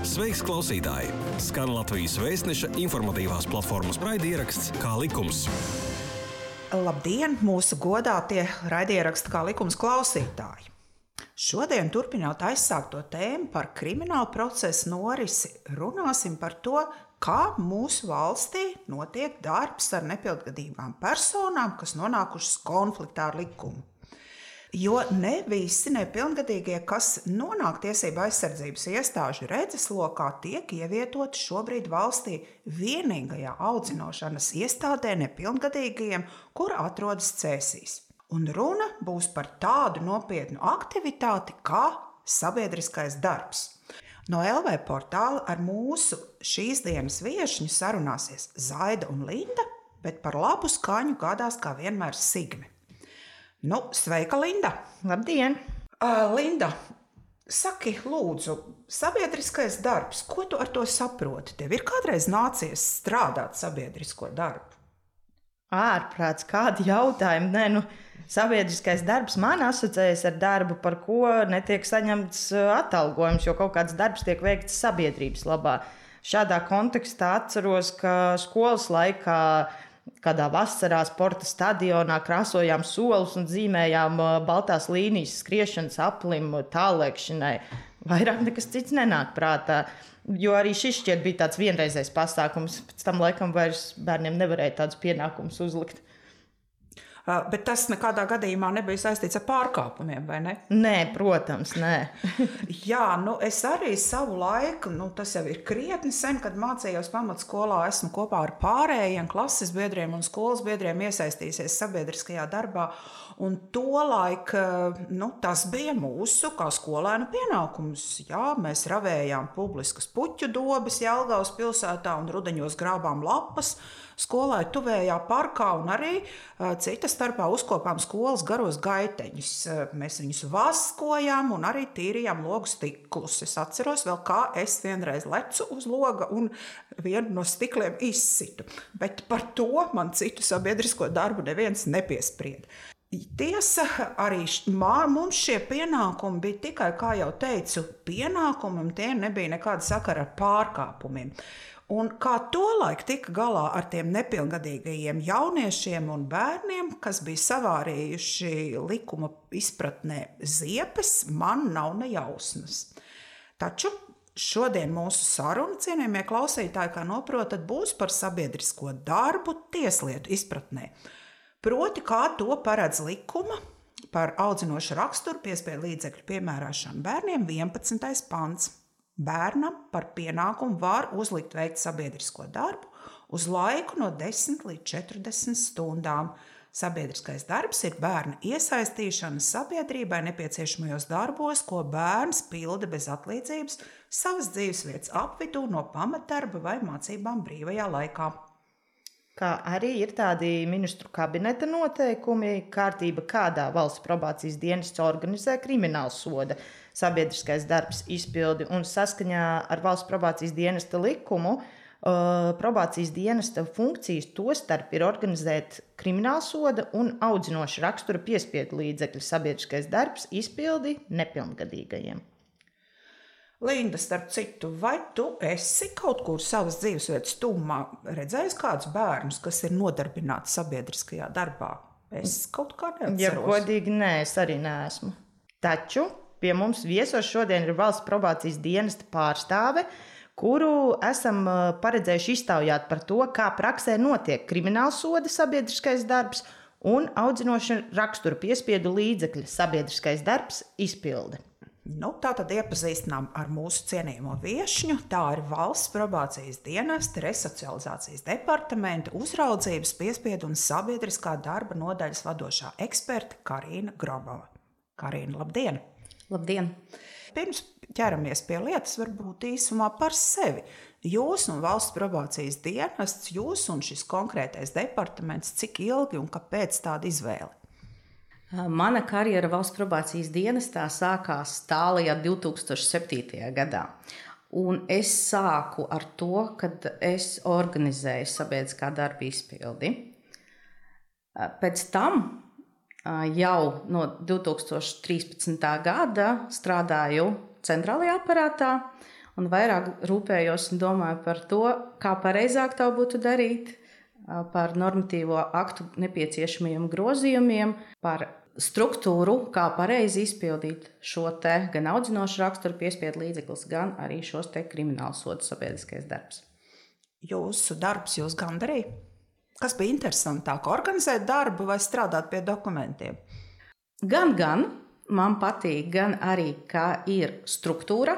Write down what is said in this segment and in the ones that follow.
Sveiks, klausītāji! Skan Latvijas Vēstneša informatīvās platformas raidieraksts Kā likums. Labdien, mūsu godātie raidieraksta Kā likums klausītāji! Šodien, turpinot aizsākto tēmu par kriminālu procesu norisi, runāsim par to, kā mūsu valstī notiek darbs ar nepilngadīgām personām, kas nonākušas konfliktā ar likumu. Jo ne visi nepilngadīgie, kas nonāk tiesību aizsardzības iestāžu redzeslokā, tiek ievietoti šobrīd valstī vienīgajā audzināšanas iestādē nepilngadīgajiem, kur atrodas Cēsīs. Un runa būs par tādu nopietnu aktivitāti kā sabiedriskais darbs. No LV portāla ar mūsu šīs dienas viešņu sarunāsies Zaida un Linda, bet par labu skaņu gādās kā vienmēr Signe. Sveika, Linda! Labdien! Linda, saki, lūdzu, sabiedriskais darbs, ko tu ar to saproti? Tev ir kādreiz nācies strādāt sabiedrisko darbu? Ārprāts, kādi jautājumi? Sabiedriskais darbs man asociējas ar darbu, par ko netiek saņemts atalgojums, jo kaut kāds darbs tiek veikts sabiedrības labā. Šādā kontekstā atceros, ka skolas laikā kādā vasarā sporta stadionā krāsojām solus un zīmējām baltās līnijas skriešanas aplim tālēkšanai. Vairāk nekas cits nenāk prātā, jo arī šis šķiet bija tāds vienreizējs pasākums. Pēc tam laikam vairs bērniem nevarēja tādus pienākumus uzlikt. Bet tas nekādā gadījumā nebija saistīts ar pārkāpumiem, vai ne? Nē, protams, nē. Jā, es arī savu laiku, tas jau ir krietni sen, kad mācījos pamatskolā, esmu kopā ar pārējiem klases biedriem un skolas biedriem iesaistījusies sabiedriskajā darbā. Un tolaik, tas bija mūsu kā skolēnu pienākums. Jā, mēs ravējām publiskas puķu dobes Jelgavas pilsētā un rudeņos grābām lapas skolai tuvējā parkā un arī cita starpā uzkopām skolas garos gaiteņus. Mēs viņus vaskojām un arī tīrījām logu stiklus. Es atceros vēl, kā es vienreiz lecu uz loga un vienu no stikliem izsitu. Bet par to man citu sabiedrisko darbu neviens nepiesprieda. Tiesa, arī mums šie pienākumi bija tikai, kā jau teicu, pienākumi, un tie nebija nekāda sakara ar pārkāpumiem. Un kā tolaik tika galā ar tiem nepilngadīgajiem jauniešiem un bērniem, kas bija savārījuši likuma izpratnē ziepes, man nav ne jausmas. Taču šodien mūsu saruna, cienījamie klausītāji, kā noprotat, būs par sabiedrisko darbu tieslietu izpratnē. Proti, kā to paredz likuma par audzinošu raksturu piespiedu līdzekļu piemērāšanu bērniem 11. pants. Bērnam par pienākumu var uzlikt veikt sabiedrisko darbu uz laiku no 10 līdz 40 stundām. Sabiedriskais darbs ir bērna iesaistīšana sabiedrībai nepieciešamajos darbos, ko bērns pilda bez atlīdzības savas dzīvesvietas apvidū no pamatdarba vai mācībām brīvajā laikā. Kā arī ir tādi ministru kabineta noteikumi, kārtība, kādā valsts probācijas dienests organizē kriminālu soda sabiedriskais darbs izpildi, un saskaņā ar valsts probācijas dienesta likumu probācijas dienesta funkcijas tostarp ir organizēt kriminālu soda un audzinoša rakstura piespiedu līdzekļu sabiedriskais darbs izpildi nepilngadīgajiem. Linda, starp citu, vai tu esi kaut kur savas dzīvesvietas tuvumā redzējis kādus bērnus, kas ir nodarbināti sabiedriskajā darbā? Es kaut kā neatceros. Ja godīgi, nē, es arī neesmu. Taču pie mums viesos šodien ir valsts probācijas dienesta pārstāve, kuru esam paredzējuši iztaujāt par to, kā praksē notiek kriminālsoda sabiedriskais darbs un audzinoša rakstura piespiedu līdzekļu sabiedriskais darbs izpilde. Tātad iepazīstinām ar mūsu cienījamo viešņu. Tā ir valsts probācijas dienesta, resocializācijas departamenta, uzraudzības, piespiedu un sabiedriskā darba nodaļas vadošā eksperte Karīna Grobova. Karīna, labdien! Labdien! Pirms ķeramies pie lietas, varbūt īsumā par sevi. Jūs un valsts probācijas dienests, jūs un šis konkrētais departaments, cik ilgi un kāpēc tāda izvēle? Mana karjera valsts probācijas dienestā sākās tālajā 2007. gadā. Un es sāku ar to, kad es organizēju sabiedriskā darba izpildi. Pēc tam jau no 2013. gada strādāju centrālajā aparātā un vairāk rūpējos un domāju par to, kā pareizāk to būtu darīt, par normatīvo aktu nepieciešamajiem grozījumiem, par struktūru, kā pareizi izpildīt šo te gan audzinošu raksturu piespiedu līdzeklis, gan arī šos te kriminālu sodu sabiedriskais darbs. Jūsu darbs jūs gandarīja? Kas bija interesantāk, organizēt darbu vai strādāt pie dokumentiem? Gan man patīk, gan arī, kā ir struktūra,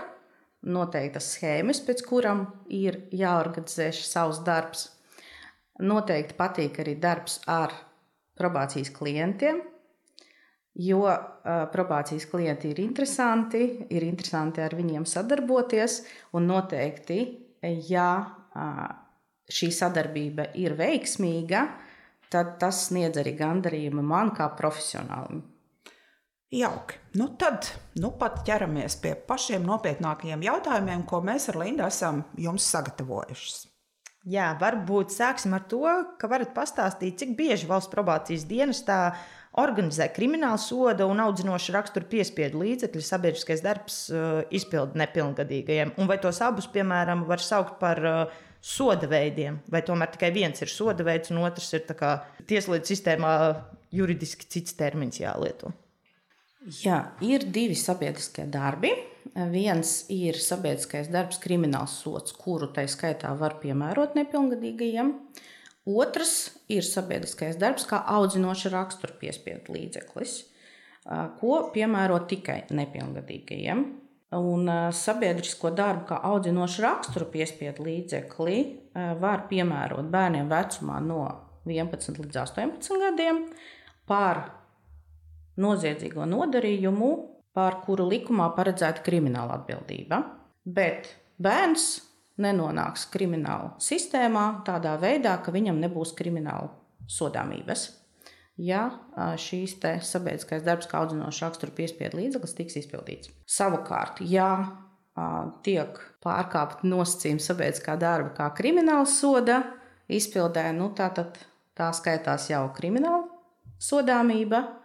noteiktas schēmas, pēc kuram ir jāorganizē savs darbs. Noteikti patīk arī darbs ar probācijas klientiem, jo probācijas klienti ir interesanti ar viņiem sadarboties, un noteikti, ja šī sadarbība ir veiksmīga, tad tas sniedz arī gandarījumu man kā profesionālim. Jauki. Tad pat ķeramies pie pašiem nopietnākajiem jautājumiem, ko mēs ar Lindu esam jums sagatavojušas. Jā, varbūt sāksim ar to, ka varat pastāstīt, cik bieži Valsts probācijas dienestā organizē kriminālu soda un audzinošu raksturu piespiedu līdzekļu sabiedriskais darbs izpildu nepilngadīgajiem. Un vai tos abus, piemēram, var saukt par soda veidiem, vai tomēr tikai viens ir soda veids un otrs ir tā kā tieslietu sistēmā juridiski cits termins jālieto? Jā, ir divi sabiedriskie darbi. Viens ir sabiedriskais darbs krimināls sods, kuru tai skaitā var piemērot nepilngadīgajiem. Otrs ir sabiedriskais darbs kā audzinoša rakstura piespiedu līdzeklis, ko piemēro tikai nepilngadīgajiem. Un sabiedrisko darbu kā audzinoša rakstura piespiedu līdzekli var piemērot bērniem vecumā no 11 līdz 18 gadiem par noziedzīgo nodarījumu, par kuru likumā paredzēta krimināla atbildība. Bet bērns nenonāks krimināla sistēmā tādā veidā, ka viņam nebūs krimināla sodāmības, ja šīs te sabiedriskais darbs kā audzinoša rakstura piespiedu līdzeklis tiks izpildīts. Savukārt, ja tiek pārkāpt nosacījumi sabiedriskā darba kā krimināla soda izpildē, tātad tā skaitās jau krimināla sodāmība,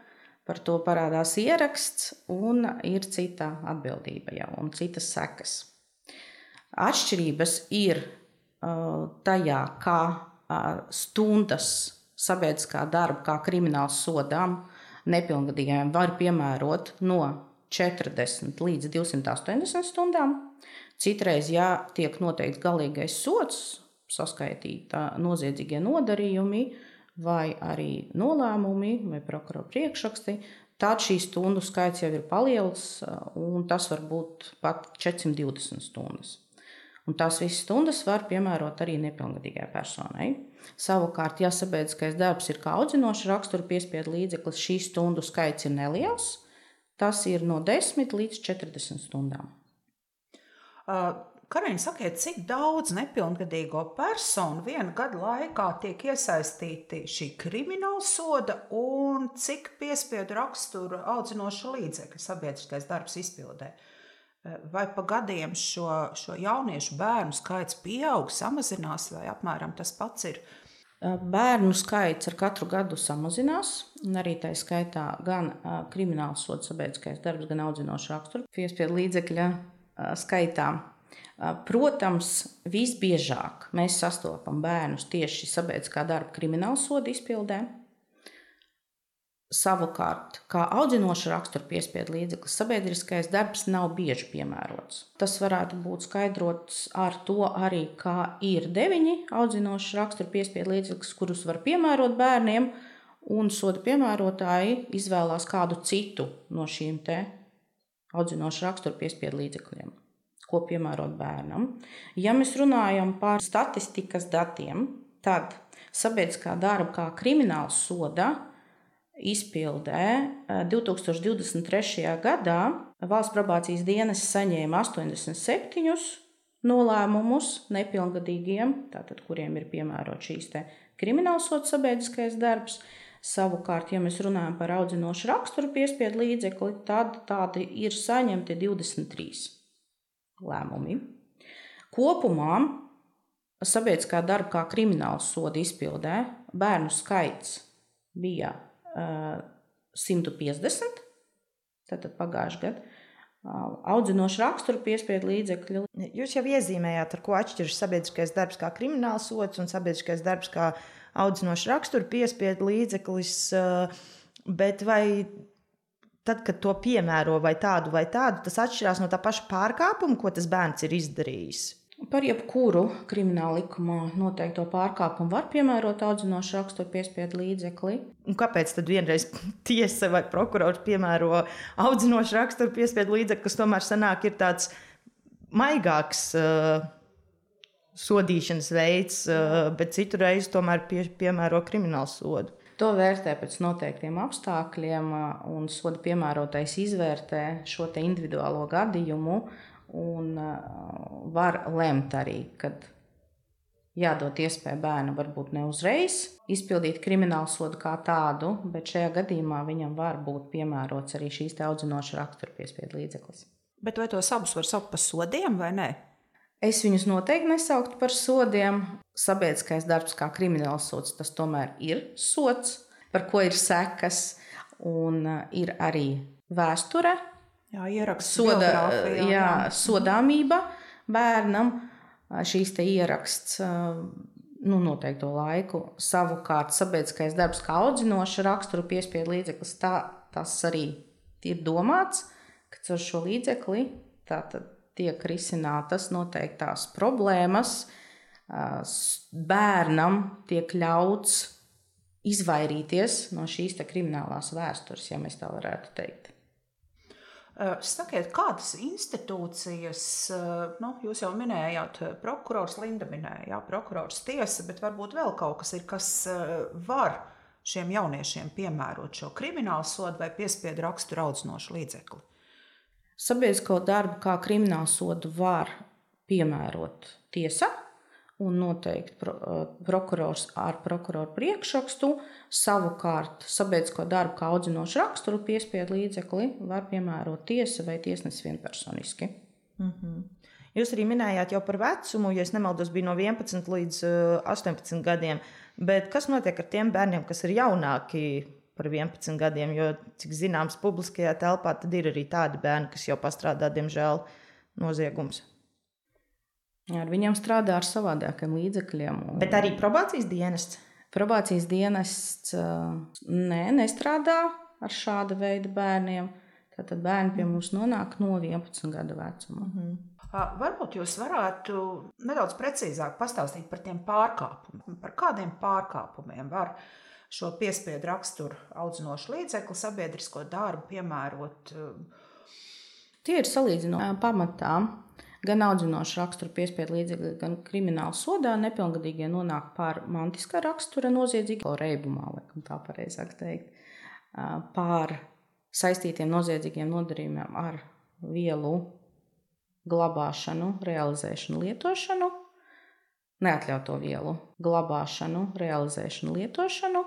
par to parādās ieraksts un ir cita atbildība jau un citas sekas. Atšķirības ir tajā, kā stundas sabiedriskā darba kā krimināla sodām nepilngadīgajiem var piemērot no 40 līdz 280 stundām. Citreiz, ja tiek noteikts galīgais sods, saskaitīta noziedzīgie nodarījumi, vai arī nolēmumi vai prokurora priekšraksti, tad šī stundu skaits jau ir palielināts, un tas var būt pat 420 stundas. Un tās visas stundas var piemērot arī nepilngadīgai personai. Savukārt, ja sabiedriskais darbs ir kā audzinoša rakstura piespiedu līdzeklis, šī stundu skaits ir neliels, tas ir no 10 līdz 40 stundām. Karina, sakiet, cik daudz nepilngadīgo personu viena gada laikā tiek iesaistīti šī krimināla soda un cik piespiedu rakstura audzinoša līdzekļa sabiedriskais darbs izpildē? Vai pa gadiem šo jauniešu bērnu skaits pieaug, samazinās vai apmēram tas pats ir? Bērnu skaits ar katru gadu samazinās, un arī tā skaitā gan krimināla soda sabiedriskais darbs, gan audzinoša rakstura piespiedu līdzekļa skaitā. Protams, visbiežāk mēs sastopam bērnus tieši sabiedriskā darba krimināla soda izpildē. Savukārt, kā audzinoša rakstura piespiedu līdzeklis, sabiedriskais darbs nav bieži piemērots. Tas varētu būt skaidrots ar to arī, kā ir 9 audzinoša rakstura piespiedu līdzeklis, kurus var piemērot bērniem, un soda piemērotāji izvēlās kādu citu no šīm te audzinoša rakstura piespiedu līdzekļiem, ko piemērot bērnam. Ja mēs runājam par statistikas datiem, tad sabiedriskā darba kā krimināla soda izpildē 2023. gadā Valsts probācijas dienests saņēma 87 nolēmumus nepilngadīgiem, tātad kuriem ir piemērot šīs te krimināla soda sabiedriskais darbs. Savukārt, ja mēs runājam par audzinošu rakstura piespiedu līdzekli, tad tādi ir saņemti 23 lēmumi. Kopumā sabiedriskā darba kā krimināla soda izpildē bērnu skaits bija 150, tātad pagājušajā gadā, audzinošu raksturu piespiedu līdzekļu. Jūs jau iezīmējāt, ar ko atšķiras sabiedriskais darbs kā kriminālsods un sabiedriskais darbs kā audzinošu raksturu piespiedu līdzeklis, bet vai tad, kad to piemēro vai tādu, tas atšķirās no tā paša pārkāpuma, ko tas bērns ir izdarījis? Par jebkuru krimināla likumā noteikto pārkāpumu var piemērot audzinošu raksturu piespiedu līdzekli. Un kāpēc tad vienreiz tiesa vai prokurors piemēro audzinošu raksturu piespiedu līdzekli, kas tomēr sanāk ir tāds maigāks sodīšanas veids, bet citu reizi tomēr piemēro kriminālu sodu? To vērtē pēc noteiktiem apstākļiem, un soda piemērotais izvērtē šo te individuālo gadījumu un var lemt arī, kad jādod iespēju bērnam varbūt ne uzreiz izpildīt kriminālu sodu kā tādu, bet šajā gadījumā viņam var būt piemērots arī šīs te audzinoša rakstura piespiedu līdzeklis. Bet vai tos abus var saukt par sodiem vai nē? Es viņus noteikti nesauktu par sodiem. Sabiedriskais darbs kā krimināls sods, tas tomēr ir sods, par ko ir sekas, un ir arī vēsture, ieraksts, sodāmība bērnam, šīs te ieraksts noteikto laiku. Savukārt sabiedriskais darbs kā audzinoša raksturu piespiedu līdzeklis, tas arī ir domāts, ka ar šo līdzekli tātad tiek risinātas noteiktās problēmas, bērnam tiek ļauts izvairīties no šīs te kriminālās vēstures, ja mēs tā varētu teikt. Sakiet, kādas institūcijas, jūs jau minējāt, prokurors Linda minēja, prokurors tiesa, bet varbūt vēl kaut kas ir, kas var šiem jauniešiem piemērot šo kriminālu sodu vai piespiedu raksturu audzinošu līdzekli? Sabiedrisko darbu kā kriminālu sodu var piemērot tiesa un noteikti prokurors ar prokuroru priekšrakstu. Savukārt sabiedrisko darbu kā audzinošu raksturu piespiedu līdzekli var piemērot tiesa vai tiesnesis vienpersoniski. Jūs arī minējāt jau par vecumu, ja es nemaldos, bija no 11 līdz 18 gadiem, bet kas notiek ar tiem bērniem, kas ir jaunāki par 11 gadiem, jo, cik zināms, publiskajā telpā tad ir arī tādi bērni, kas jau pastrādā, diemžēl, noziegums. Ar viņiem strādā ar savādākiem līdzekļiem. Bet arī probācijas dienests? Probācijas dienests nestrādā ar šāda veida bērniem. Tātad bērni pie mums nonāk no 11 gadu vecuma. Varbūt jūs varētu nedaudz precīzāk pastāstīt par tiem pārkāpumiem. Par kādiem pārkāpumiem var šo piespiedu raksturu audzinošu līdzekli sabiedrisko darbu piemērot? Tie ir salīdzinoši pamatā. Gan audzinošu raksturu piespiedu līdzekļi, gan krimināla sodā nepilngadīgie nonāk pār mantiskā rakstura noziedzīgā reibumā, laikam tā pareizāk teikt, pār saistītiem noziedzīgiem nodarījumiem ar vielu glabāšanu, realizēšanu, lietošanu, neatļauto vielu glabāšanu, realizēšanu, lietošanu,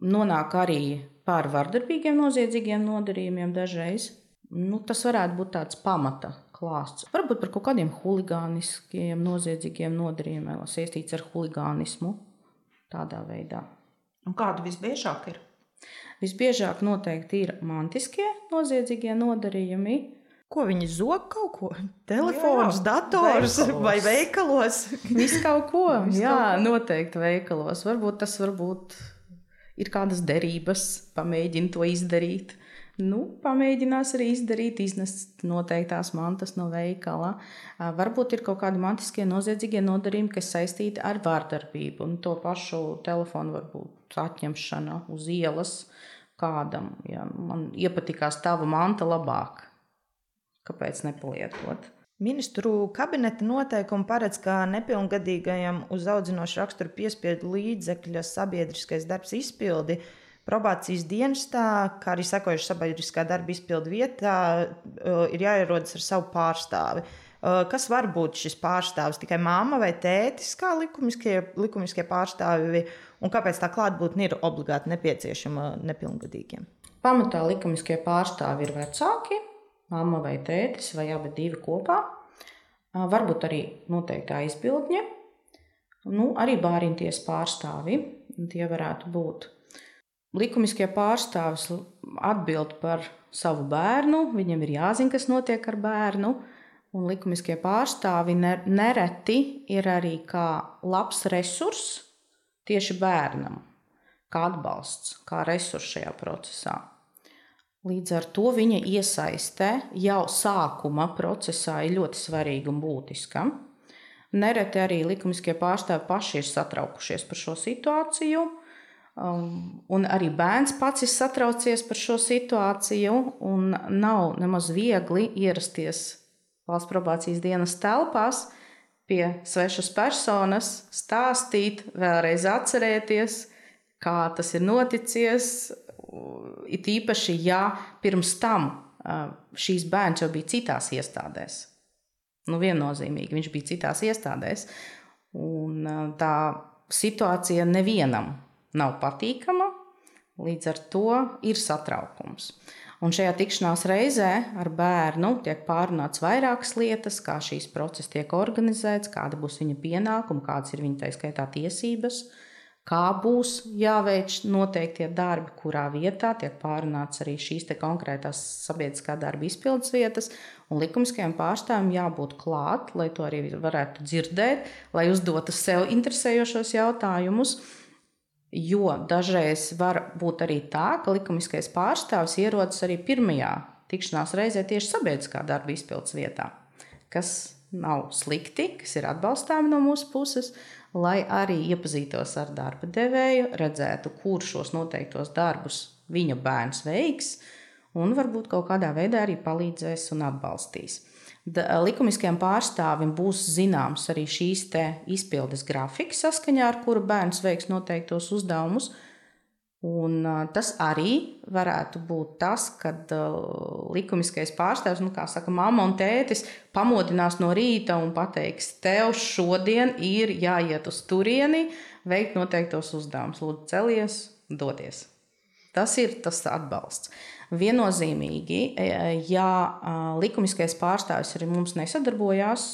nonāk arī pār vardarbīgiem noziedzīgiem nodarījumiem dažreiz. Tas varētu būt tāds pamata klāsts. Varbūt par kaut kādiem huligāniskiem, noziedzīgiem nodarījumiem, saistīts ar huligānismu tādā veidā. Un kādi visbiežāk ir? Visbiežāk noteikti ir mantiskie noziedzīgie nodarījumi. Ko viņi zog kaut ko? Telefons, dators vai veikalos? Viss kaut ko. Noteikti veikalos. Varbūt tas ir kādas derības, pamēģina to izdarīt. Pamēģinās arī izdarīt, iznest noteiktās mantas no veikala. Varbūt ir kaut kādi mantiskie noziedzīgie nodarījumi, kas saistīti ar vārdarbību. Un to pašu telefonu varbūt atņemšana uz ielas kādam. Ja man iepatikās tava manta labāk. Kāpēc nepalietot? Ministru kabineta noteikumi paredz, ka nepilngadīgajam uz audzinošu raksturu piespiedu līdzekļa sabiedriskais darbs izpildi probācijas dienestā, kā arī sekojuši sabiedriskā darba izpildu vietā, ir jāierodas ar savu pārstāvi. Kas var būt šis pārstāvis? Tikai mamma vai tētis, kā likumiskie pārstāvi, un kāpēc tā klātbūtne ir obligāti nepieciešama nepilngadīgiem? Pamatā likumiskie pārstāvi ir vecāki, mamma vai tētis, vai abi divi kopā. Varbūt arī noteiktā izbildņa. Arī bāriņties pārstāvi, tie varētu būt. likumiskie pārstāvis atbild par savu bērnu, viņam ir jāzina, kas notiek ar bērnu, un likumiskie pārstāvi nereti ir arī kā labs resurss tieši bērnam, kā atbalsts, kā resurss šajā procesā. Līdz ar to viņa iesaiste jau sākuma procesā ir ļoti svarīga un būtiska. Nereti arī likumiskie pārstāvi paši ir satraukušies par šo situāciju, un arī bērns pats ir satraucies par šo situāciju, un nav nemaz viegli ierasties Valsts probācijas dienas telpās pie svešas personas, stāstīt, vēlreiz atcerēties, kā tas ir noticies. It īpaši, ja pirms tam šīs bērns jau bija citās iestādēs. Viennozīmīgi, viņš bija citās iestādēs. Un tā situācija nevienam nav patīkama, līdz ar to ir satraukums. Un šajā tikšanās reizē ar bērnu tiek pārunāts vairākas lietas, kā šīs process tiek organizēts, kāda būs viņa pienākuma, kādas ir viņa tā skaitā tiesības, kā būs jāveic noteiktie darbi, kurā vietā tiek pārunāts arī šīs te konkrētās sabiedriskā darba izpildes vietas, un likumiskajiem pārstāvjiem jābūt klāt, lai to arī varētu dzirdēt, lai uzdotu sev interesējošos jautājumus. Jo dažreiz var būt arī tā, ka likumiskais pārstāvis ierodas arī pirmajā tikšanās reizē tieši sabiedriskā darba izpildes vietā, kas nav slikti, kas ir atbalstāmi no mūsu puses, lai arī iepazītos ar darba devēju, redzētu, kur šos noteiktos darbus viņa bērns veiks, un varbūt kaut kādā veidā arī palīdzēs un atbalstīs. Likumiskajam pārstāvim būs zināms arī šīs te izpildes grafiki, saskaņā ar kuru bērns veiks noteiktos uzdevumus. Un tas arī varētu būt tas, kad likumiskais pārstāvs, kā saka, mamma un tētis pamodinās no rīta un pateiks, tev šodien ir jāiet uz turieni, veikt noteiktos uzdevumus. Lūdzu, celies, dodies. Tas ir tas atbalsts. Viennozīmīgi, ja likumiskais pārstāvis arī mums nesadarbojās,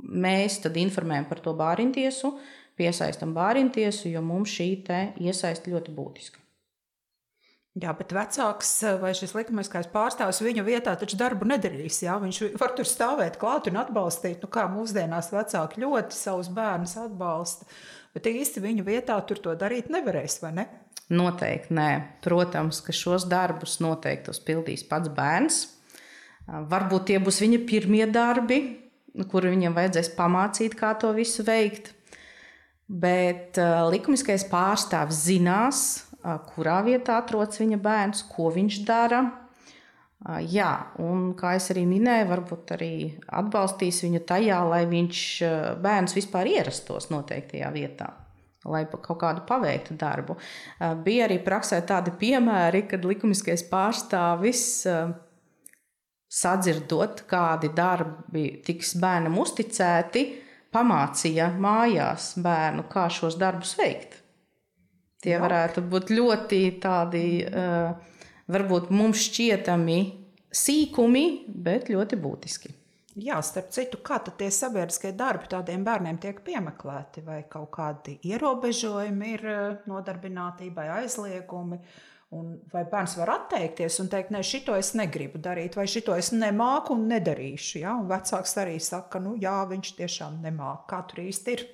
mēs tad informējam par to bāriņtiesu, piesaistam bāriņtiesu, jo mums šī te iesaiste ļoti būtiska. Jā, bet vecāks vai šis likumiskais pārstāvis viņa vietā taču darbu nedarīs. Jā? Viņš var tur stāvēt klāt un atbalstīt, kā mūsdienās vecāki ļoti savus bērnus atbalsta, bet īsti viņa vietā tur to darīt nevarēs, vai ne? Noteikti nē. Protams, ka šos darbus noteikti pildīs pats bērns. Varbūt tie būs viņa pirmie darbi, kur viņam vajadzēs pamācīt, kā to visu veikt. Bet likumiskais pārstāvis zinās, kurā vietā atrodas viņa bērns, ko viņš dara. Jā, un kā es arī minēju, varbūt arī atbalstīs viņu tajā, lai bērns vispār ierastos noteiktajā vietā, lai kaut kādu paveiktu darbu. Bija arī praksē tādi piemēri, kad likumiskais pārstāvis sadzirdot, kādi darbi tiks bērnam uzticēti, pamācīja mājās bērnu, kā šos darbus veikt. Tie varētu būt ļoti tādi, varbūt mums šķietami sīkumi, bet ļoti būtiski. Jā, starp citu, kā tad tie sabiedriskie darbi tādiem bērniem tiek piemeklēti? Vai kaut kādi ierobežojumi ir nodarbinātībai, aizliegumi? Un vai bērns var atteikties un teikt, ne, šito es negribu darīt, vai šito es nemāku un nedarīšu? Ja? Un vecāks arī saka, jā, viņš tiešām nemāk. Kā tur īsti ir?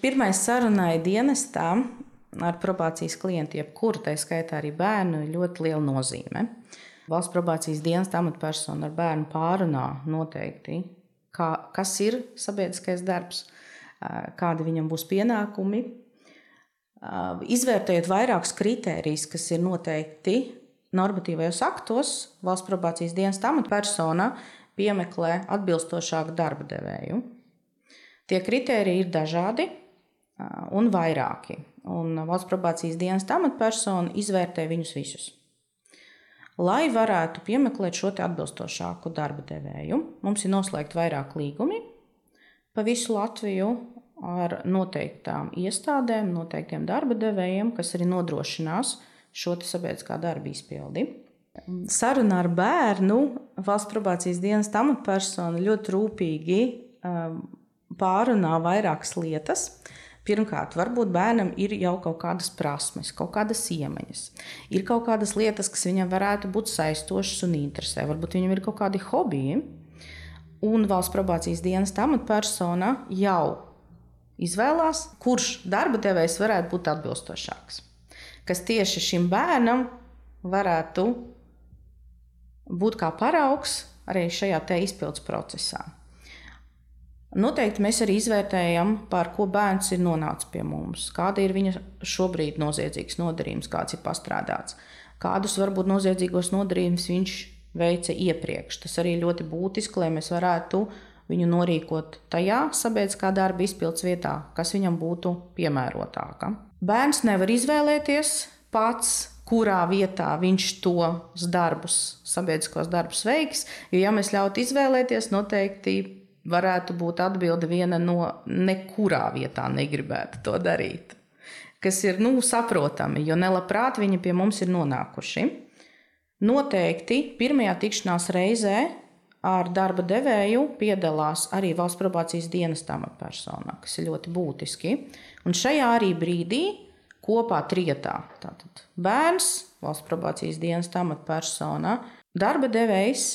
Pirmai sarunai dienestā ar probācijas klientu, jebkuru, tā skaitā arī bērnu, ir ļoti liela nozīme. Valsts probācijas dienesta amatpersona ar bērnu pārunā noteikti, kas ir sabiedriskais darbs, kādi viņam būs pienākumi. Izvērtējot vairākus kritērijus, kas ir noteikti normatīvajos aktos, valsts probācijas dienesta amatpersona piemeklē atbilstošāku darba devēju. Tie kritēriji ir dažādi un vairāki, un valsts probācijas dienesta amatpersona izvērtē viņus visus. Lai varētu piemeklēt šo atbilstošāku darba devēju, mums ir noslēgti vairāk līgumi pa visu Latviju ar noteiktām iestādēm, noteiktiem darba devējiem, kas arī nodrošinās šo sabiedriskā darba izpildi. Sarunā ar bērnu valsts probācijas dienesta amatpersona ļoti rūpīgi pārunā vairākas lietas. Pirmkārt, varbūt bērnam ir jau kaut kādas prasmes, kaut kādas iemaņas. Ir kaut kādas lietas, kas viņam varētu būt saistošas un interesē. Varbūt viņam ir kaut kādi hobiji. Un Valsts probācijas dienesta amatpersona jau izvēlās, kurš darba devējs varētu būt atbilstošāks. Kas tieši šim bērnam varētu būt kā paraugs arī šajā te izpildes procesā. Noteikti mēs arī izvērtējam, par ko bērns ir nonācis pie mums, kāda ir viņa šobrīd noziedzīgs nodarījums, kāds ir pastrādāts, kādus varbūt noziedzīgos nodarījumus viņš veica iepriekš. Tas arī ļoti būtiski, lai mēs varētu viņu norīkot tajā sabiedriskā darba izpildes vietā, kas viņam būtu piemērotāka. Bērns nevar izvēlēties pats, kurā vietā viņš tos darbus, sabiedriskos darbus veiks, jo ja mēs ļautu izvēlēties, noteikti varētu būt atbilde viena no nekurā vietā negribētu to darīt. Kas ir saprotami, jo nelabprāt viņi pie mums ir nonākuši. Noteikti pirmajā tikšanās reizē ar darba devēju piedalās arī Valsts probācijas dienesta amatpersonā, kas ir ļoti būtiski. Un šajā arī brīdī kopā trietā, tātad bērns, Valsts probācijas dienesta amatpersona, darba devējs,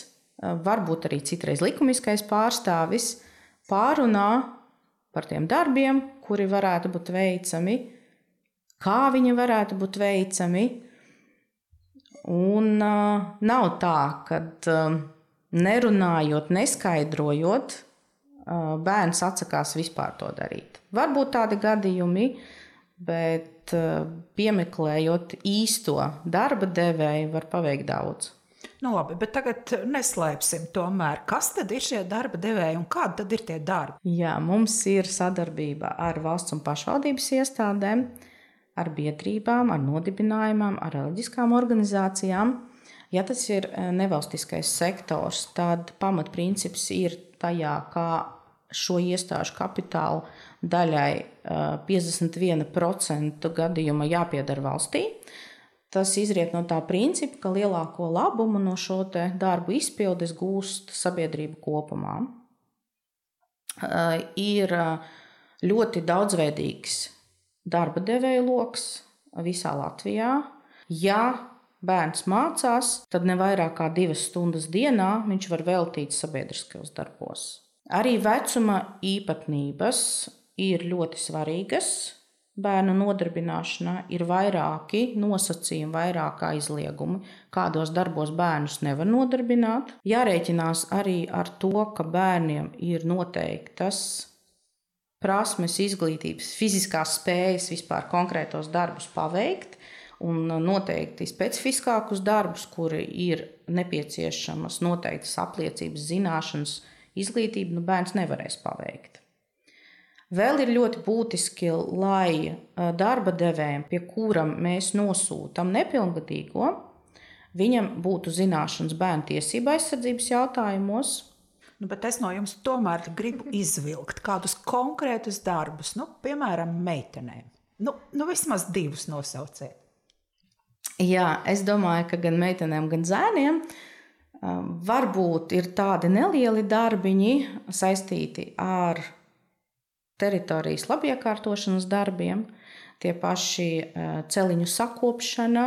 varbūt arī citreiz likumiskais pārstāvis, pārunā par tiem darbiem, kuri varētu būt veicami, kā viņi varētu būt veicami. Un nav tā, kad nerunājot, neskaidrojot, bērns atsakās vispār to darīt. Varbūt tādi gadījumi, bet piemeklējot īsto darba devēju, var paveikt daudz. Labi, bet tagad neslēpsim tomēr, kas tad ir šie darba devēji un kādi tad ir tie darbi? Jā, mums ir sadarbība ar valsts un pašvaldības iestādēm, ar biedrībām, ar nodibinājumām, ar reliģiskām organizācijām. Ja tas ir nevalstiskais sektors, tad pamatprincips ir tajā, kā šo iestāžu kapitāla daļai 51% gadījuma jāpieder valstī. Tas izriet no tā principa, ka lielāko labumu no šo te darbu izpildes gūst sabiedrība kopumā. Ir ļoti daudzveidīgs darba devēju loks visā Latvijā. Ja bērns mācās, tad ne vairāk kā 2 stundas dienā viņš var veltīt sabiedriskajos darbos. Arī vecuma īpatnības ir ļoti svarīgas. Bērnu nodarbināšanā ir vairāki nosacījumi, vairāk aizliegumi, kādos darbos bērnus nevar nodarbināt. Jārēķinās arī ar to, ka bērniem ir noteiktas prasmes, izglītības, fiziskās spējas vispār konkrētos darbus paveikt, un noteikti specifiskākus darbus, kuri ir nepieciešamas noteiktas apliecības, zināšanas, izglītība, bērns nevarēs paveikt. Vēl ir ļoti būtiski, lai darba devējiem, pie kuram mēs nosūtam nepilngadīgo, viņam būtu zināšanas bērnu tiesību aizsardzības jautājumos. Bet es no jums tomēr gribu izvilkt kādus konkrētus darbus, piemēram, meitenēm. Vismaz 2 nosauciet. Jā, es domāju, ka gan meitenēm, gan zēniem varbūt ir tādi nelieli darbiņi saistīti ar teritorijas labiekārtošanas darbiem, tie paši celiņu sakopšana.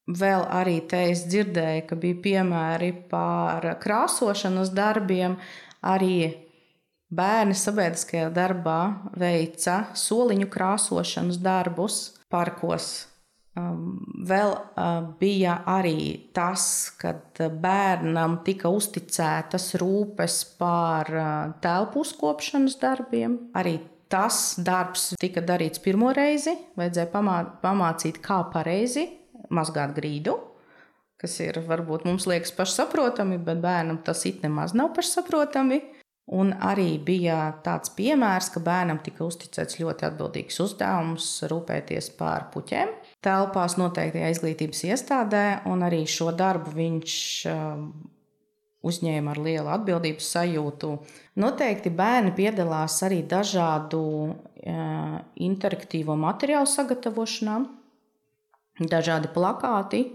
Vēl arī te es dzirdēju, ka bija piemēri par krāsošanas darbiem. Arī bērni sabiedriskajā darbā veica soliņu krāsošanas darbus parkos. Vēl bija arī tas, kad bērnam tika uzticētas rūpes par telpu uzkopšanas darbiem. Arī tas darbs tika darīts pirmo reizi. Vajadzēja pamācīt, kā pareizi mazgāt grīdu, kas ir varbūt mums liekas pašsaprotami, bet bērnam tas it nemaz nav pašsaprotami. Un arī bija tāds piemērs, ka bērnam tika uzticēts ļoti atbildīgs uzdevums rūpēties par puķēm telpās noteiktajā izglītības iestādē, un arī šo darbu viņš uzņēma ar lielu atbildības sajūtu. Noteikti bērni piedalās arī dažādu interaktīvo materiālu sagatavošanā, dažādi plakāti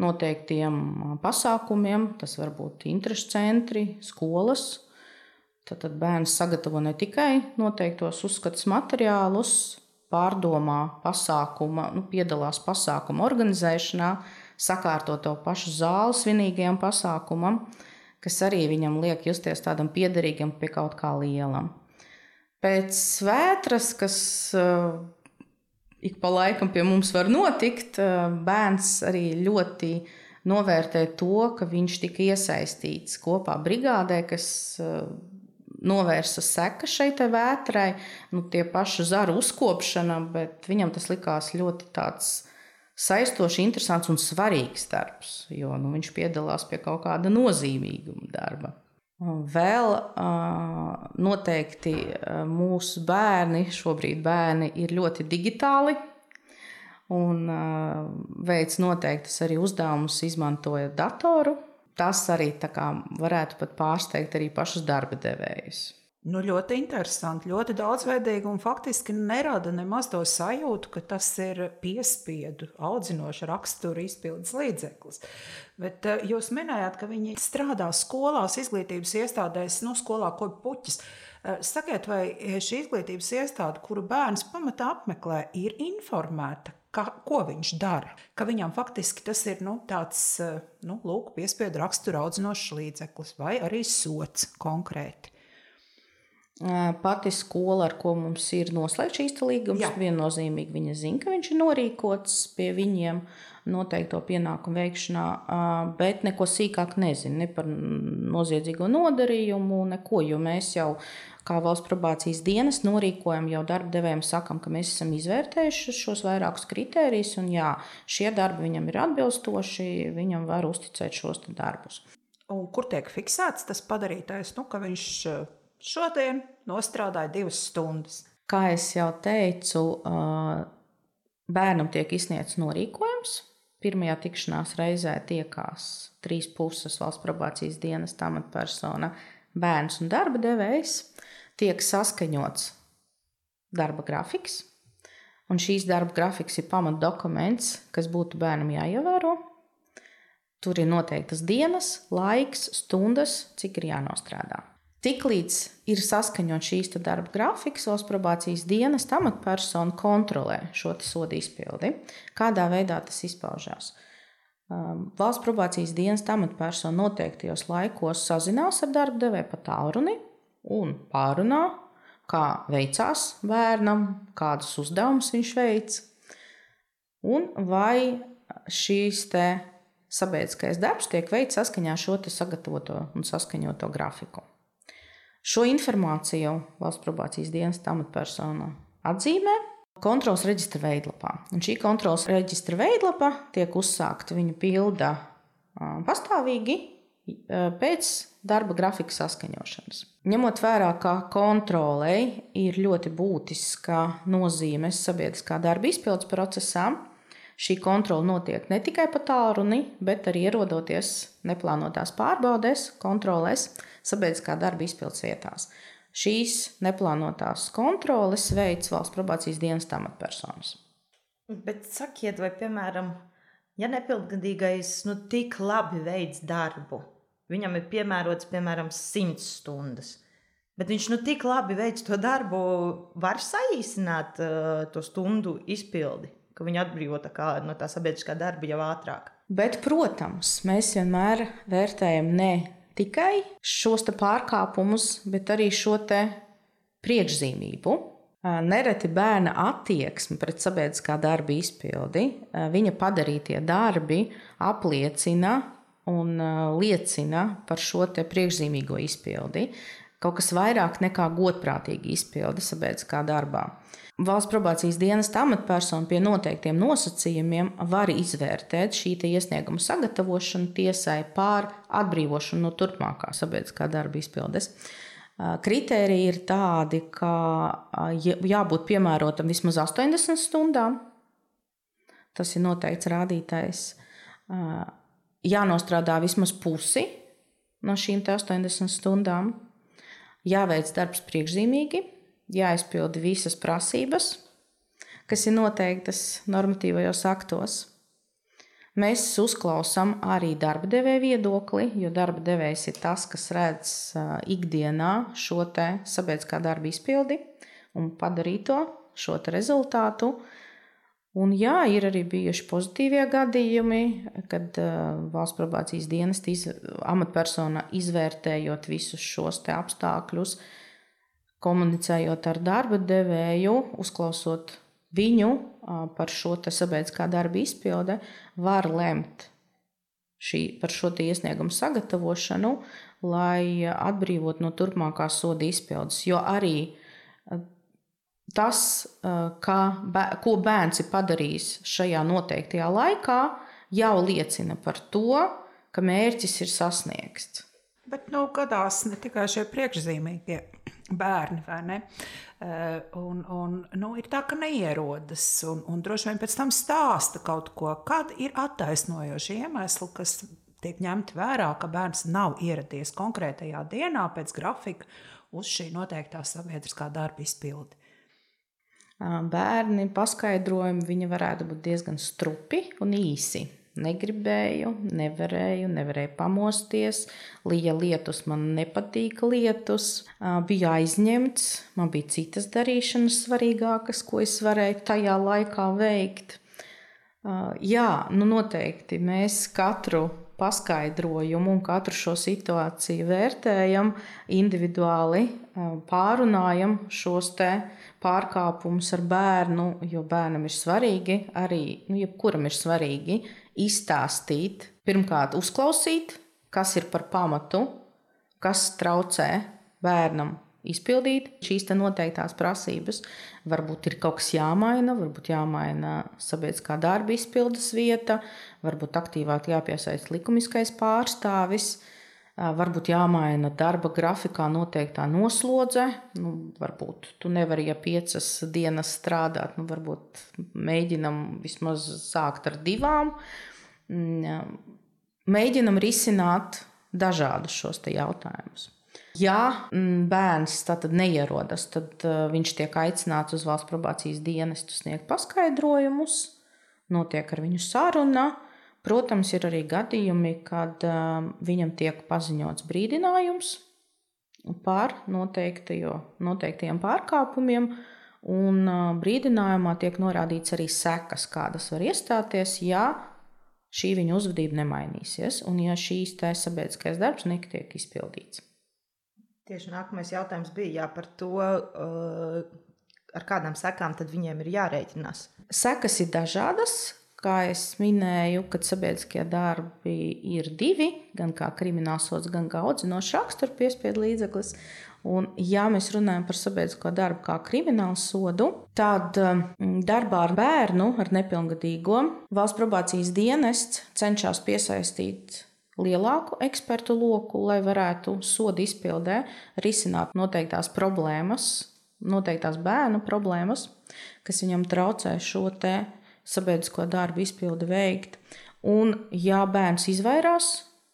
noteiktiem pasākumiem, tas var būt interešu centri, skolas. Tad bērns sagatavo ne tikai noteiktos uzskatus materiālus, pārdomā pasākuma, piedalās pasākuma organizēšanā, sakārto to pašu zāli svinīgajam pasākumam, kas arī viņam liek justies tādam piederīgam pie kaut kā lielam. Pēc svētras, kas ik pa laikam pie mums var notikt, bērns arī ļoti novērtē to, ka viņš tika iesaistīts kopā brigādē, kas novērsa sekas šai te vētrai, tie paši zaru uzkopšana, bet viņam tas likās ļoti tāds saistoši, interesants un svarīgs darbs, jo viņš piedalās pie kaut kāda nozīmīguma darba. Vēl noteikti mūsu bērni, šobrīd bērni ir ļoti digitāli un veic noteiktas arī uzdevumus izmantojot datoru. Tas arī tā kā varētu pat pārsteigt arī pašus darba devējus. Ļoti interesanti, ļoti daudzveidīgi un faktiski nerada nemaz to sajūtu, ka tas ir piespiedu, audzinoša rakstura izpildes līdzeklis. Bet jūs minējāt, ka viņi strādā skolās, izglītības iestādēs, skolā kopi puķis. Sakiet, vai šī izglītības iestāde, kuru bērns pamatā apmeklē, ir informēta, ko viņš dara? Ka viņam faktiski tas ir tāds, piespiedu rakstura audzinošs līdzeklis vai arī sots konkrēti? Pati skola, ar ko mums ir noslēgts šīs līgums, viennozīmīgi viņa zina, ka viņš ir norīkots pie viņiem noteikto pienākumu veikšanā, bet neko sīkāk nezina, ne par noziedzīgo nodarījumu, neko, jo mēs jau kā valsts probācijas dienas norīkojam, jau darba devējiem sakam, ka mēs esam izvērtējuši šos vairākus kritērijus, un šie darbi viņam ir atbilstoši, viņam var uzticēt šos darbus. Un kur tiek fiksēts tas padarītais, ka viņš šodien nostrādāja 2 stundas? Kā es jau teicu, bērnam tiek izsniegts norīkojums. Pirmajā tikšanās reizē tiekās 3 puses valsts probācijas dienas amatpersona, bērns un darba devējs. Tiek saskaņots darba grafiks, un šīs darba grafiks ir pamatdokuments, kas būtu bērnam jāievēro. Tur ir noteiktas dienas, laiks, stundas, cik ir jānostrādā. Tiklīdz ir saskaņot šīs darba grafiks, valsts probācijas dienas amatpersona kontrolē šo sodu izpildi. Kādā veidā tas izpaužās? Valsts probācijas dienas amatpersona noteiktajos laikos sazinās ar darba devēju pa tālruni un pārunā, kā veicās bērnam, kādus uzdevumus viņš veic, un vai šīs sabiedriskais darbs tiek veikts saskaņā šo sagatavoto un saskaņoto grafiku. Šo informāciju valsts probācijas dienas amatpersona atzīmē kontroles reģistra veidlapā. Un šī kontroles reģistra veidlapa tiek uzsākta, viņa pilda pastāvīgi pēc darba grafika saskaņošanas. Ņemot vērā, ka kontrolei ir ļoti būtiska nozīme sabiedriskā darba izpildes procesā, šī kontrole notiek ne tikai pa tālruni, bet arī ierodoties neplānotās pārbaudēs, kontrolēs sabiedriskā darba izpildes vietās. Šīs neplānotās kontroles veids valsts probācijas dienas amatpersonas. Bet sakiet, vai, piemēram, ja nepilngadīgais tik labi veids darbu, viņam ir piemērots, 100 stundas, bet viņš tik labi veids to darbu, var saīsināt to stundu izpildi, ka viņi atbrīvo no tā sabiedriskā darba jau ātrāk. Bet, protams, mēs vienmēr vērtējam ne tikai šos pārkāpumus, bet arī šo priekšzīmību. Nereti bērna attieksme pret sabiedriskā darba izpildi, viņa padarītie darbi apliecina un liecina par šo priekšzīmīgo izpildi. Kaut kas vairāk nekā godprātīga izpilde sabiedriskā darbā. Valsts probācijas dienas amatpersona pie noteiktiem nosacījumiem var izvērtēt šī iesnieguma sagatavošanu tiesai pār atbrīvošanu no turpmākā sabiedriskā darba izpildes. Kritēriji ir tādi, ka jābūt piemērotam vismaz 80 stundām. Tas ir noteikts rādītājs. Jānostrādā vismaz pusi no šīm 80 stundām. Jāveic darbs priekšzīmīgi, jāizpilda visas prasības, kas ir noteiktas normatīvajos aktos. Mēs uzklausām arī darba devēja viedokli, jo darba devējs ir tas, kas redz ikdienā šo te sabiedriskā darba izpildi un padarīto šo te rezultātu. Un jā, ir arī bijuši pozitīvie gadījumi, kad valsts probācijas dienesta amatpersona izvērtējot visus šos te apstākļus, komunicējot ar darba devēju, uzklausot viņu par šo te sabiedriskā darba izpilde, var lemt par šo te iesniegumu sagatavošanu, lai atbrīvot no turpmākās soda izpildes. Jo arī tas, ko bērns ir padarījis šajā noteiktajā laikā, jau liecina par to, ka mērķis ir sasniegts. Bet gadās ne tikai šie priekšzīmīgie bērni, vai ne? Ir tā, ka neierodas un droši vien pēc tam stāsta kaut ko, kad ir attaisnojoši iemesli, kas tiek ņemti vērā, ka bērns nav ieradies konkrētajā dienā pēc grafika uz šī noteiktā sabiedriskā darba izpildi. Bērni paskaidrojumi viņi varētu būt diezgan strupi un īsi. Negribēju, nevarēju pamosties, lija lietus, man nepatīk lietus, biju aizņemts, man bija citas darīšanas svarīgākas, ko es varēju tajā laikā veikt. Jā, noteikti mēs katru paskaidrojumu un katru šo situāciju vērtējam individuāli, pārunājam šos te pārkāpumus ar bērnu, jo bērnam ir svarīgi, arī jebkuram ir svarīgi izstāstīt, pirmkārt uzklausīt, kas ir par pamatu, kas traucē bērnam izpildīt šīs te noteiktās prasības. Varbūt ir kaut kas jāmaina, varbūt jāmaina sabiedriskā darba izpildes vieta, varbūt aktīvāk jāpiesaista likumiskais pārstāvis, varbūt jāmaina darba grafikā noteiktā noslodze. Varbūt tu nevari, ja 5 dienas strādāt, varbūt mēģinam vismaz sākt ar 2. Mēģinam risināt dažādus šos te jautājumus. Ja bērns tātad neierodas, tad viņš tiek aicināts uz valsts probācijas dienestu sniegt paskaidrojumus, notiek ar viņu saruna. Protams, ir arī gadījumi, kad viņam tiek paziņots brīdinājums par noteiktajiem pārkāpumiem, un brīdinājumā tiek norādīts arī sekas, kādas var iestāties, ja šī viņa uzvedība nemainīsies, un ja šīs te sabiedriskais darbs netiek izpildīts. Tieši nākamais jautājums bija par to, ar kādām sekām tad viņiem ir jārēķinās. Sekas ir dažādas, kā es minēju, kad sabiedriskie darbi ir 2, gan kā kriminālsods, gan kā audzinošs rakstura piespiedu līdzeklis. Un, ja mēs runājam par sabiedrisko darbu kā kriminālsodu, tad darbā ar bērnu, ar nepilngadīgo, valsts probācijas dienests cenšas piesaistīt lielāku ekspertu loku, lai varētu soda izpildē risināt noteiktās problēmas, noteiktās bērnu problēmas, kas viņam traucē šo te sabiedrisko darbu izpildi veikt. Un, ja bērns izvairās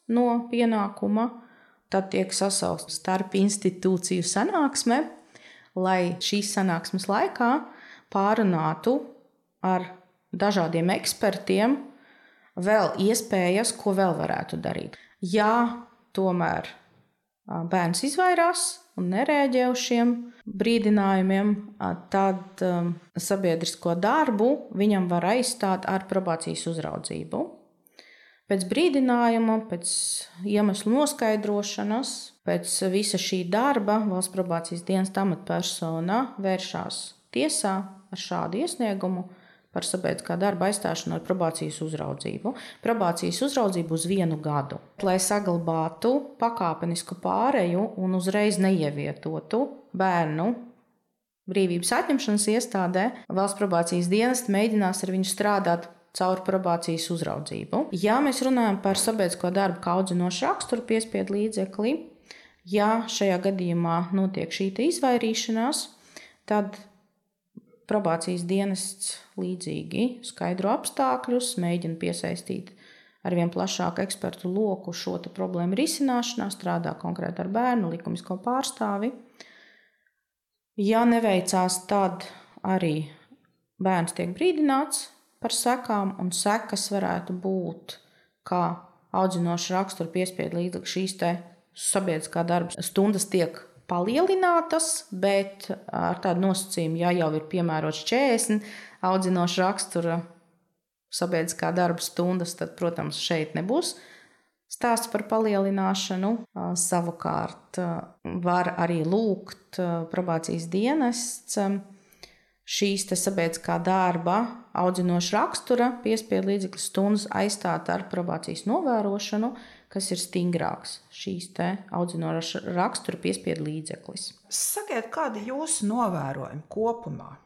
no pienākuma, tad tiek sasaukta starp institūciju sanāksme, lai šīs sanāksmes laikā pārunātu ar dažādiem ekspertiem vēl iespējas, ko vēl varētu darīt. Ja tomēr bērns izvairās un nereaģē uz šiem brīdinājumiem, tad sabiedrisko darbu viņam var aizstāt ar probācijas uzraudzību. Pēc brīdinājuma, pēc iemeslu noskaidrošanas, pēc visa šī darba valsts probācijas dienesta amatpersona vēršās tiesā ar šādu iesniegumu par sabiedriskā darba aizstāšanu ar probācijas uzraudzību. Probācijas uzraudzību uz 1 gadu, lai saglabātu pakāpenisku pāreju un uzreiz neievietotu bērnu brīvības atņemšanas iestādē. Valsts probācijas dienesta mēģinās ar viņu strādāt caur probācijas uzraudzību. Ja mēs runājam par sabiedrisko darbu kā audzinošu raksturu piespiedu līdzekli, ja šajā gadījumā notiek šī izvairīšanās, tad probācijas dienests līdzīgi skaidro apstākļus, mēģina piesaistīt ar vien plašāku ekspertu loku šo problēmu risināšanā, strādā konkrēti ar bērnu, likumisko pārstāvi. Ja neveicās, tad arī bērns tiek brīdināts par sekām, un sekas varētu būt, kā audzinoša rakstura piespiedu līdzekļu šīs te sabiedriskā darba stundas tiek palielinātas, bet ar tādu nosacījumu, ja jau ir piemērots 40 audzinoša rakstura sabiedriskā darba stundas, tad, protams, šeit nebūs stāsts par palielināšanu. Savukārt var arī lūgt probācijas dienests šīs te sabiedriskā darba audzinoša rakstura piespiedu līdzekļu stundas aizstāt ar probācijas novērošanu, kas ir stingrāks šīs te audzinoša rakstura piespiedu līdzeklis. Sakiet, kādi jūsu novērojumi kopumā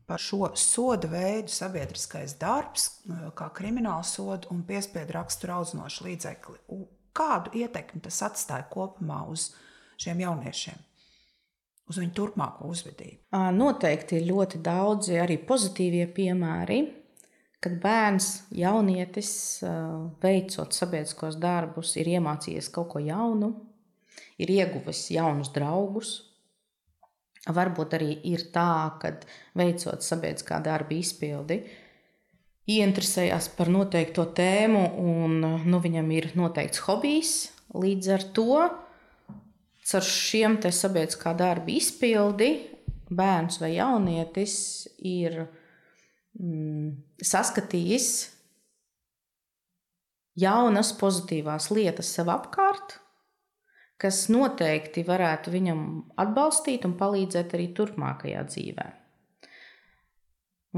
par šo soda veidu sabiedriskais darbs, kā krimināla soda un piespiedu rakstura audzinoša līdzekli? Kādu ietekmi tas atstāja kopumā uz šiem jauniešiem, uz viņu turpmāko uzvedību? Noteikti ir ļoti daudzi arī pozitīvie piemēri, kad bērns, jaunietis, veicot sabiedriskos darbus, ir iemācījies kaut ko jaunu, ir ieguvis jaunus draugus. Varbūt arī ir tā, kad veicot sabiedriskā darba izpildi, ieinteresējās par noteikto tēmu un viņam ir noteikts hobijs. Līdz ar to, ar šiem te sabiedriskā darba izpildi, bērns vai jaunietis ir saskatījis jaunas pozitīvās lietas sev apkārt, kas noteikti varētu viņam atbalstīt un palīdzēt arī turpmākajā dzīvē.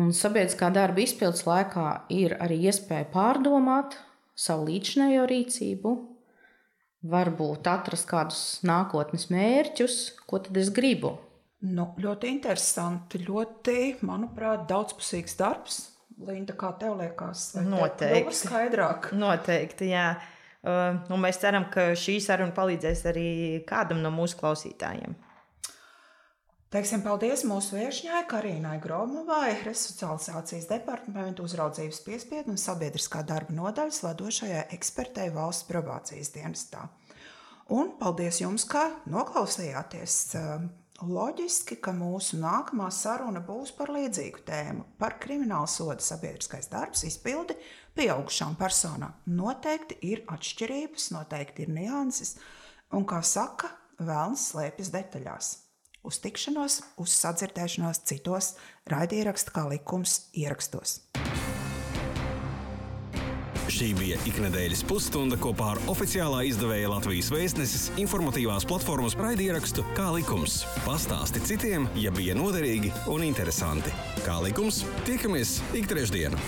Un sabiedriskā darba izpildes laikā ir arī iespēja pārdomāt savu līdzinējo rīcību, varbūt atrast kādus nākotnes mērķus, ko tad es gribu. Ļoti interesanti, ļoti, manuprāt, daudzpusīgs darbs. Linda, kā tev liekas? Noteikti. Skaidrāk. Noteikti, jā. Un mēs ceram, ka šī saruna palīdzēs arī kādam no mūsu klausītājiem. Teiksim paldies mūsu viešņai Karīnai Gromovai, Resocializācijas departamentu uzraudzības piespiedu un sabiedriskā darba nodaļas vadošajai ekspertei valsts probācijas dienestā. Un paldies jums, ka noklausījāties. Loģiski, ka mūsu nākamā saruna būs par līdzīgu tēmu, par krimināla soda sabiedriskais darbs izpildi pieaugušām personām. Noteikti ir atšķirības, noteikti ir nianses, un, kā saka, velns slēpjas detaļās. Uz tikšanos, uz sadzirdēšanos citos raidieraksta kā likums ierakstos. Šī bija iknedēļas pusstunda kopā ar oficiālā izdevēja Latvijas Vēstneses informatīvās platformas raidierakstu Kā likums. Pastāsti citiem, ja bija noderīgi un interesanti. Kā likums, tiekamies ik trešdienu.